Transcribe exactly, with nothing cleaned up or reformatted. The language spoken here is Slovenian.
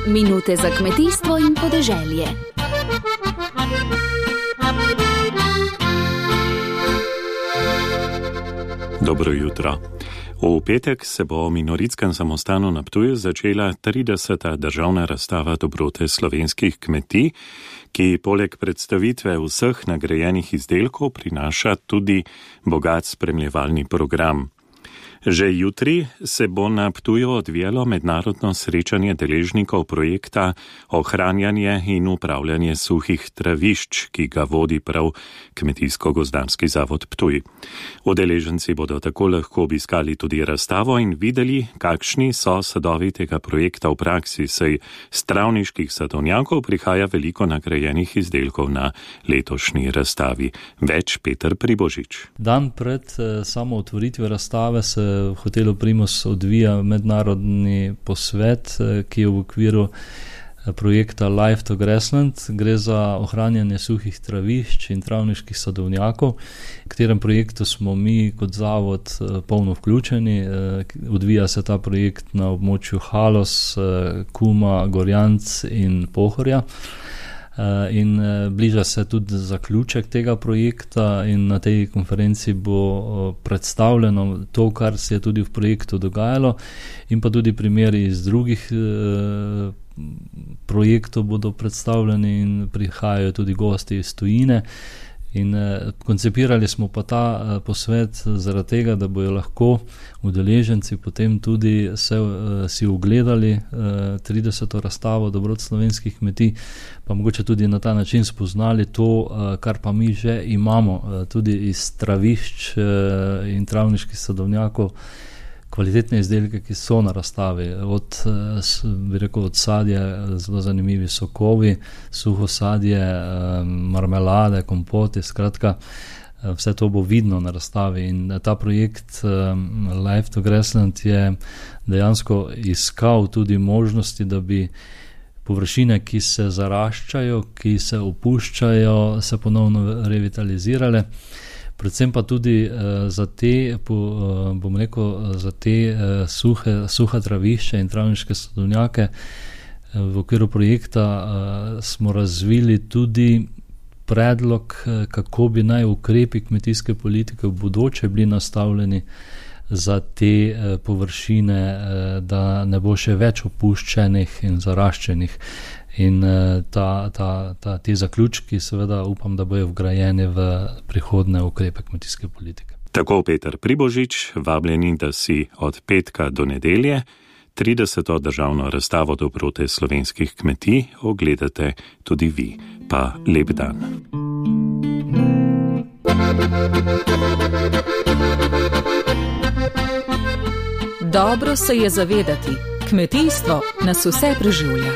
Minute za kmetijstvo in podeželje. Dobro jutro. V petek se bo v Minoritskem samostanu na Ptuju začela trideseta državna razstava dobrote slovenskih kmetij, ki poleg predstavitve vseh nagrajenih izdelkov prinaša tudi bogat spremljevalni program. Že jutri se bo na Ptuju odvijalo mednarodno srečanje deležnikov projekta Ohranjanje in upravljanje suhih travišč, ki ga vodi prav Kmetijsko-gozdarski zavod Ptuj. Udeleženci bodo tako lahko obiskali tudi razstavo in videli, kakšni so sadovi tega projekta v praksi, saj s travniških sadovnjakov prihaja veliko nagrajenih izdelkov na letošnji razstavi. Več Peter Pribožič. Dan pred samo otvoritvijo razstave se v hotelu Primus odvija mednarodni posvet, ki je v okviru projekta Life to Grassland. Gre za ohranjanje suhih travišč in travniških sadovnjakov, v katerem projektu smo mi kot zavod polno vključeni. Odvija se ta projekt na območju Haloz, Kuma, Gorjanc in Pohorja. In bliža se tudi zaključek tega projekta in na tej konferenci bo predstavljeno to, kar se je tudi v projektu dogajalo, in pa tudi primeri iz drugih projektov bodo predstavljeni in prihajajo tudi gosti iz tujine. In koncipirali smo pa ta posvet zaradi tega, da bojo lahko udeleženci potem tudi se, si ogledali trideseto razstavo dobrot slovenskih kmetij, pa mogoče tudi na ta način spoznali to, kar pa mi že imamo, tudi iz travišč in travniških sadovnjakov, kvalitetne izdelke, ki so na razstavi, od, bi rekel, od sadja, zelo zanimivi sokovi, suho sadje, marmelade, kompoti, skratka, vse to bo vidno na razstavi. In ta projekt Life to Grassland je dejansko iskal tudi možnosti, da bi površine, ki se zaraščajo, ki se opuščajo, se ponovno revitalizirale. Predvsem pa tudi uh, za te, po, uh, bom rekel, za te uh, suhe, suha travišča in travniške sadovnjake uh, v okviru projekta uh, smo razvili tudi predlog, uh, kako bi naj ukrepi kmetijske politike v bodoče bili nastavljeni za te uh, površine, uh, da ne bo še več opuščenih in zaraščenih. In ta, ta, ta, ti zaključki seveda upam, da bojo vgrajeni v prihodne ukrepe kmetijske politike. Tako Peter Pribožič, vabljeni, da si od petka do nedelje trideseto državno razstavo dobrote slovenskih kmetij ogledate tudi vi. Pa lep dan. Dobro se je zavedati, kmetijstvo nas vse preživlja.